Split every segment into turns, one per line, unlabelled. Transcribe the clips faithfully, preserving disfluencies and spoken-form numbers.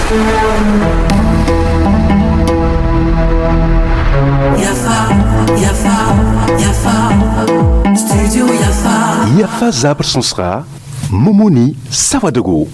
Yafa, Yafa, Yafa, Studio Yafa.
Yafa zabr sõsga Momoni Sawadogo.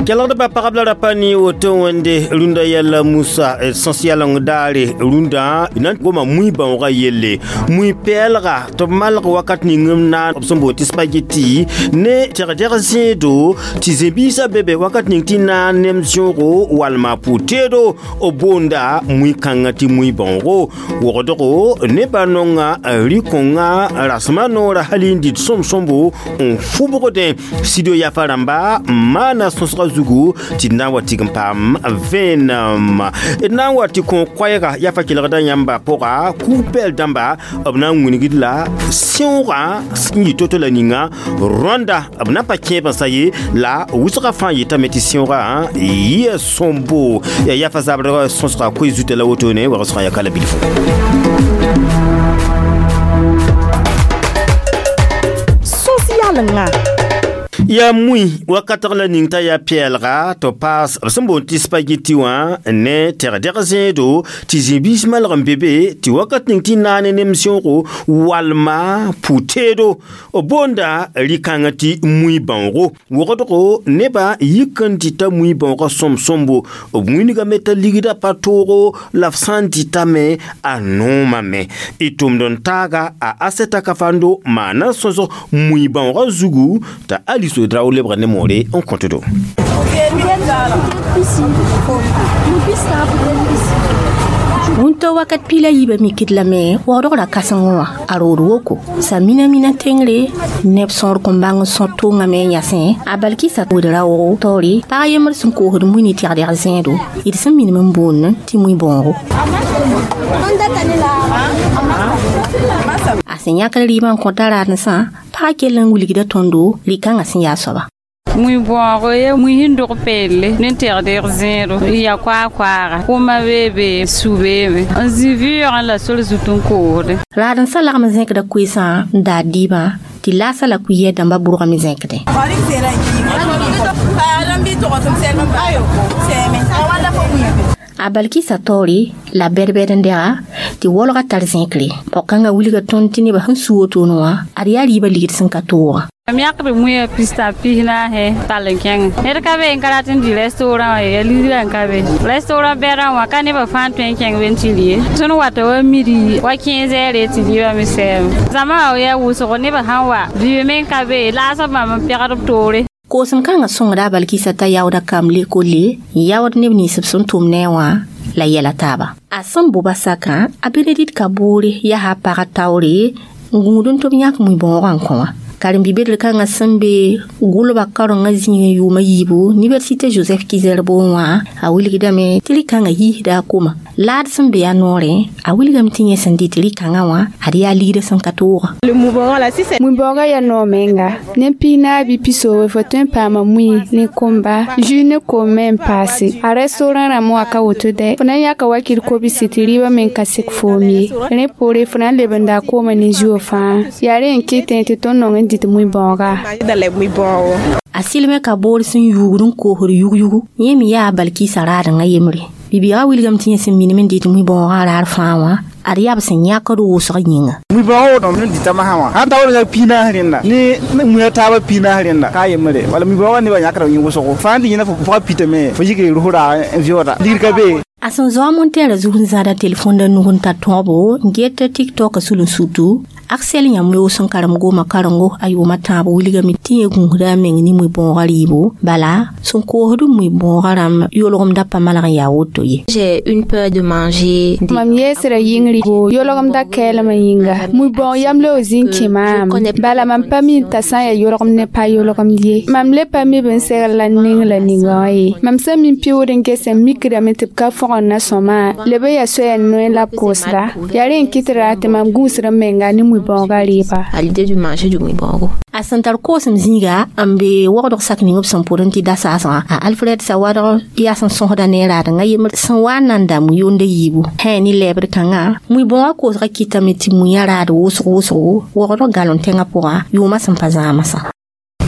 Kelgdbã pagb la rapa ne woto wẽnde rũndã yɛla Musa sõs yaleng daare rũndã na n goma mui bãoogã yelle mui pɛɛlga tɩ b malg wakat ning m naan b sẽn boond tɩ spageti ne tẽgdɛg zẽedo tɩ zĩ-biisã be be wakat ning tɩ naan nem zẽogo walma pʋ-teedo b boonda mui-kãngã tɩ mui bãoogo wogdgo nebã nonga rɩ-kõngã rasmã noorã hal n dɩt sõm-sõmbo n fʋbgdẽ studio Yafa rãmba n maana sõsgã zugu tɩ d na n wa tig n paam vẽenem d na n wa tɩ kõ koɛɛga Yafa kelgda yãmba pʋga kug-pɛɛl dãmba b na n wilgd la sẽoogã n yɩ to-to la ninga rõanda b na n pa kẽeb n sa ye la wʋsgã fãa yetame tɩ sẽoogã yɩa sõmbo yaa Yafa zabr sõsga koe zuta la wotone wagsgã yaa ka la bilfu.
Sõs-yalenga
Ya mui wakatg la ning t'a yaa pɛɛlga tɩ paas b sẽn boond tɩ spageti wã ne tẽgdɛg zẽedo tɩ zĩ-biis malg n be be tɩ wakat ning tɩ naane nem sẽoogo walma pʋ-teedo b boonda rɩ-kãngã tɩ mui bãoogo wogdgo nebã yik n dɩta mui bãoogã sõm-sõmbo b wĩnigame t'a ligda pa toogo la f sã n dɩtame a noomame y tʋmd n taaga a Aseta Kafando maana sõsg mui bãoogã zugu t'a Alice Draw lebga ne moore n kõtdo.
Wũnto wakat piila yiibã mikd lame waoodg ra kãsengẽ wã a rood woko sã mina mina tengre neb sõor kõn bãng n sõt tʋʋngame n yasẽ a balkɩsa wed raoogo taoore pag yembr sẽn koosd mui ne tɛgdɛg zẽedo d sẽn minim n boond tɩ mui bãoogo a sẽn yãkd rɩɩbã n kõta raadensã pagã kell n wilgda tõndo rɩ-kãngã sẽn yaa soaba.
Mui bõogo ya mui sẽn dog peelle ne tɛgdɛg zẽedo ya koa-koaaga kʋma beebe su beeme n zĩ vɩʋʋgẽ la sor zut n koosde.
Raadensã lagm n zẽkda koeesã n daad dɩɩbã tɩ laasã la kʋɩyɛ dãmbã bʋrgame zẽkdẽ. A balkɩsa taoore la bɛd-bɛd n dɛga tɩ waolgã tar zẽkre pɔg-kãngã wilga tõnd tɩ nebã sẽn su wotone wã ad yaa rɩɩbã ligd sẽn ka tooga.
Mam yãkd muiã pista pis-naase tall n kẽngẽ ned ka be n ka rat n dɩ restaurant wã ya ligrã n ka be restaurant bɛdã wã ka nebã fãa tõe n kẽng be n tɩ rɩ ye tõnd wata wa midi wa quinze heures tɩ rɩɩbã me sɛɛme zãma wa yaa wʋsgo nebã sãn wa vɩɩ me n ka be laasb bãmb n pɛgd b toore.
Koosem kãngã sõngda a balkɩsa t'a yaooda kam lekolle n yaood neb nins b sẽn tʋm ne a wã la yɛla taaba. A sẽn boba sakã a Benedict ka boore yaa a pagã taoore n gũud n tɩ b yãk mui bãoogã n kõ wã. Karen-bi-bedr kãngã sẽn be gʋlba karenga zĩigẽ yʋʋmã yiibu Université Joseph Kizerbo wã a wilgdame tɩ rɩ-kãngã yiisda a koma laad sẽn be a noorẽ a wilgame tɩ yẽ sẽn dɩt rɩ-kãngã wã ad yaa ligdã sẽn ka tooga.
Mui bãoogã yaa noog menga ne piis-naas bɩ pisoobe fo tõe n paama mui ne komba jus ne koom me n paase a restaurant rãmb wã ka woto dɛ fo na n yãka wakɩr kobsi tɩ rɩɩbã me n ka sek foom ye rẽ poore fo na n lebenda a koomã ne zuo fãa yaa rẽ n kɩtẽ tɩ tõnd nong n dɩt mui bãooga.
A sɩlmẽ ka boor sẽn yuugd n koosd yug-yugu yẽ me yaa a balkɩɩsã raadengã yembre bibiigã wilgame tɩ yẽ sẽn minim n dɩt mui bãoogã raar fãa wã ad yaa b sẽn yãkd wʋsg yĩnga.
Mui bãoog n dɩta masã wã sãn ta woto yaa piis-naas rẽnda ne muiã taabã piis-naas rẽnda ka yembre wala mui bãoogã nebã yãkda yẽ wʋsgo fãa n dɩ yẽna fo pʋga pitame fo yik rʋs raag n vɩooda ligd ka be.
A sẽn zoa montɛɛrã zug n zãada telefõnda nug n tar tõobo n get TikTok sul n sutu Axel yãmb yoos n karem goomã karengo a yʋʋmã tãab wilgame tɩ yẽ gũusda a meng ne mui bãoogã rɩɩbo bala sẽn koosd mui bãoogã rãmb yolgemda pa malg n yaa woto ye.
J'ai une peur de manger.
Mam yeesra yĩngr yolgemda kɛɛlmã yĩnga mui bãoog yam la zĩ n kẽ maam bala mam pa mi t'a sã n yaa yolgem ne pa yolgem ye mam le pa mi b n segl la ning la ninga wã ye mam sẽn mi pɩʋʋd n ges n mikdame tɩ b ka fõgd na sõma leb n yaa soaya noe la b koosda yaa rẽ n kɩt ra tɩ mam gũusd n menga ne mui bãoogã rɩɩba.
À l'idée du manger du mui bãoogo.
A sẽn tar koosem zĩiga n be wogdg sak ning b sẽn pʋdẽ tɩ da-saasgã a Alfred Sawadg yaa sẽn sõsda ne raadengã yembr sẽn wa n nan da mui-yonda yiibu hẽ ne lɛɛbd kãngã mui bãoogã koosgã kɩtame tɩ muiã raad wʋsg wʋsgo wogdg galon tẽngã pʋgã yʋʋmã sẽn pa zãamsã.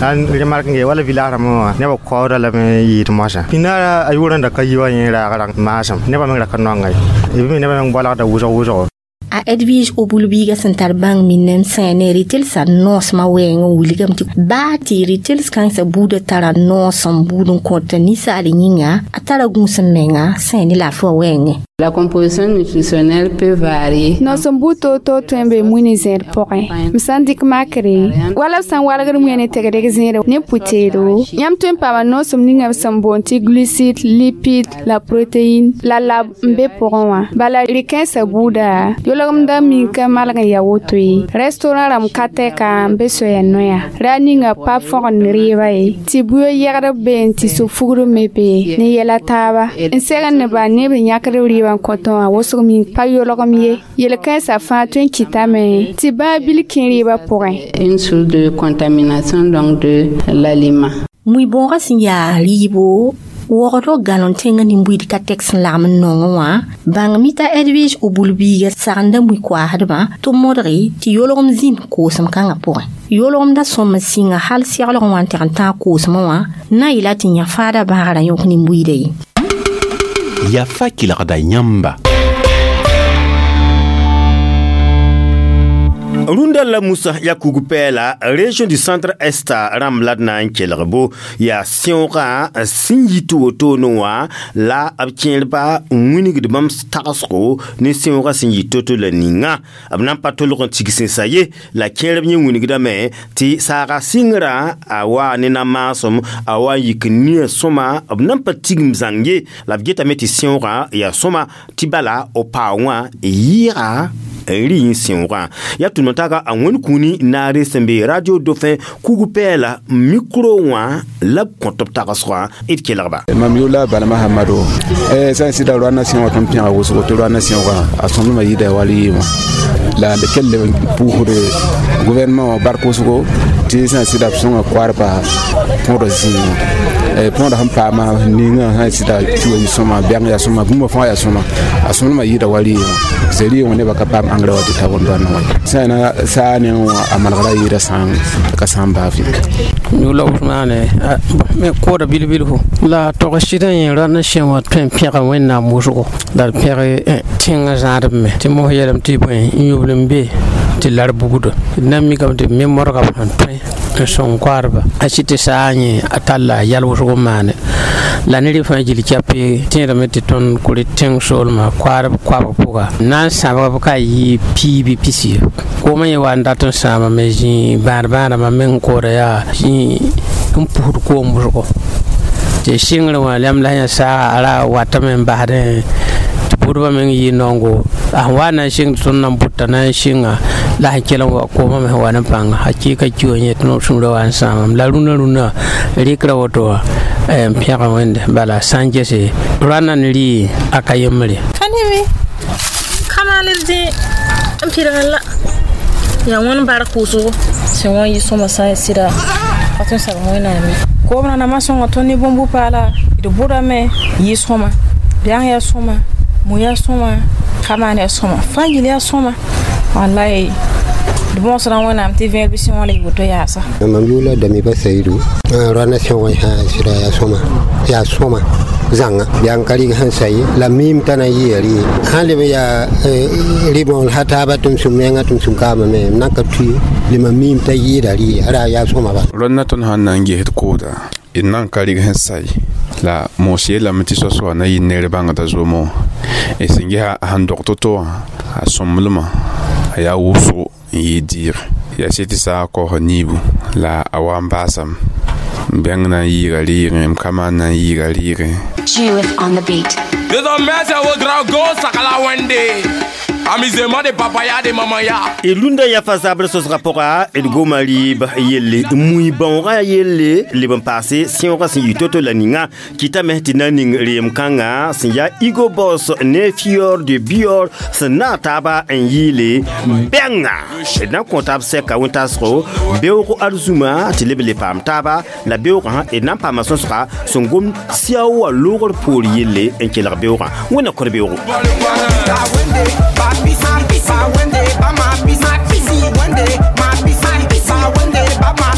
An remark nge wala village mo ne ba ko da la me yit mosa pinara ayuran da kayiwa yin ra ga masam ne ba me ra kan ngai e bi ne ba me bola da wuzo wuzo.
A Edwige Obulbiga sẽn tar bãng minnem sã ne rɩtelsã noosmã wɛɛng n wilgame tɩ baa tɩ rɩtels kãensã buudã tara noosem buud n kõt ninsaal yĩnga a tara gũusem menga sã ne laafɩ wã wɛɛngẽ.
La composition nutritionnelle peut varier.
Noosem buud toor-toor tõe n be mui ne zẽed pʋgẽ. M sã n dɩk makre wala b sã n walgd mui ne tegdg zẽede ne pʋ-teedo yãmb tõe n paama noosem ninga b sẽn boond tɩ glucide, lipide, la protéine la lab n be pʋgẽ wã. Bala rɩ-kãensã buuda yolgem da min ka malg n ya woto ye. Restaurant rãmb ka tɛka n be soaya noya. Ra ninga pa fõgend rɩɩba ye tɩ buyo yɛgdb be n tɩ so-fugr me be ne yɛla taaba n segd ne ba neb n yãkd rɩɩbã n kõtẽ wã wʋsg min pa yolgem ye. Yel-kãensã fãa tõe n kɩtame tɩ bãa bil kẽ rɩɩbã pʋgẽ.
Une source de contamination donc de l'aliment.
Mui-bõogã sẽn yaa rɩɩbo wogdg galon tẽngã nin-buiid ka tɛk sẽn lagm n nongẽ wã bãng mita Edwige Obulbiiga sagenda mui-koaasdbã tɩ modge tɩ yolgem zĩnd koosem kãngã pʋgẽ. Yolgemda sõm n sɩnga hal seglg wã n teg n tãag koosmã wã na n yɩla tɩ yã faada bãagrã yõk nin-buiida ye.
Yafa kelgda yãmba.
Rũndã la Musa ya kug-pɛɛla région du centre est rãmb la d na n kelg bo yaa sẽoogã sẽn yi tɩ wotone wã la b kẽerba n wingd bãmb tagsgo ne sẽoogã sẽn yɩ to-to la ninga b na n pa tolg n tig sẽnsa ye la kẽerb yẽ wingdame tɩ saaga sɩngrã a waa ne na-maasem a wa n yik nia sõma b na n pa tigim zãng ye la b getame tɩ sẽoogã yaa sõma tɩ bala b paoongã yɩɩga n rɩ n sẽoogã yaa tʋm taga a wẽnd kũuni naare sẽn be radio Dauphin kug-pɛɛla micro wã la b kõt b tagsgã d kelgba.
Mam yʋʋla Balama Hamado sã n sɩda roana sẽogã tõnd pẽga wʋsgo tɩ roana sẽogã a sõmblmã yɩɩda wall yɩɩmã la d kell n pʋʋsd gouvernement wã bark wʋsgo tɩ sã n sɩda b sõnga koarba põdg zĩigã põodã sẽn paama ninga sã n sɩda tɩ wa yɩ sõma bɛng yaa sõma bũmba fãa yaa sõma a sõmblmã yɩɩda wall yɩɩmã sẽn rɩɩg nebã ka paam engrais wa tɩ ta wẽnd roana wã sã na saa ne wã a malgra yɩɩda sã ka sã n baaf ye.
Yʋla Ousmane me kooda bilbilfu la tog sɩd n yẽ rãnd sẽ wã tõe n pẽga wẽnnaam wʋsgo la d pẽg tẽngã zãadb me tɩ mos yeelame tɩ bõe n yʋbl n be tɩ lar bugda d na n mikame tɩ b me modga b sẽn tõe n sõng koaadba a sɩd tɩ saa yẽ a talla yɛl wʋsg n maane la ne rɩ fãa gil kɛpe tẽedame tɩ tõnd kʋ tẽng soolmã koaadb koabg pʋga na n sãbg b ka yɩ piibi pisi koomã yẽ wa n dat n sãamame zĩ bãad-bãadãmã meng kooda yaa zĩ n pusd koom wʋsgo tɩ sɩngrẽ wã lɛm la yã saaga a ra watame n basdẽ tɩ pʋdbã meng yɩ naongo a sẽn wa na n sɩng tɩ tõnd na n bʋta na n sɩnga la sẽn kell n wa koomã me sẽn wa ne pãnga hakɩɩka ki wã yẽ tɩ no sũurã wa n sãamame la rũnã rũnã rɩkra woto wã n pẽga wẽnde bala sã n gese rãnda n rɩ a ka yembre.
Ka neme ka maal d dẽ n pɩlg la yaa wẽnd bark wʋsgo sẽn wã yɩ sõma sã n sɩda pa tõe n sab wẽnnaam ye koom rãndãmã sõnga tõnd ne bõn-bu-paala d bʋdame yɩ sõma bɛng yaa sõma mui yaa sõma ka maan yaa sõma fãa yil yaa sõma wallahi d bõosdã wẽnnaam tɩ vẽeg bɩ sẽn wã la yɩ woto yaasa.
Mam yʋʋla Damiba Saidu rãna sẽogã sã sɩda yaa sõma yaa sõma zãnga yaa n ka rɩg sẽn sa ye la miim t'a na n yɩa rɩ sãn leb n yaa rɩ-bõol sa taaba tɩ m sũ menga tɩ m sũ kaamame m na n ka tue lema miim t'a yɩɩda rɩ ra yaa sõma ba.
Rõndã tõnd sãn na n gesd kooda d na n ka rɩg sẽn sa ye la moos yeelame tɩ soa-soa na yɩ ner bãngda zomo d sẽn gesa a sẽn dog to-to wã a sõmblmã a yaa wʋsgo n yɩ dɩɩg yaa sɩd tɩ saagã kaoosã niibu la a wa n baasame m bɛng na n yɩɩga rɩɩgẽ m ka maan na n yɩɩga rɩɩgẽ.
Judith on the beat.
Désormais, c'est au grand go, Sakala Wende. Amusement de papaya de mamaya.
E lunda ya fa zabr sosga pʋga d goma rɩɩb yelle mui-bãoogã yelle leb n paase sẽoogã sẽn yɩ to-to la ninga kɩtame tɩ na n ning reem-kãngã sẽn yaa Igo Boss ne Fior de Bior sẽn naag taaba n yɩɩle bɛnga d na n kõ taab sɛka wẽn-taasgo beoog arzũma tɩ leb le paam taaba la beoogã d na n paama sõsga sẽn gom siao wã loogr poor yelle n kelg beoogã wẽnna kõr beoogo.
Ba wende, ba ma pisi, ba wende, ba ma pisi, ba wende, ba ma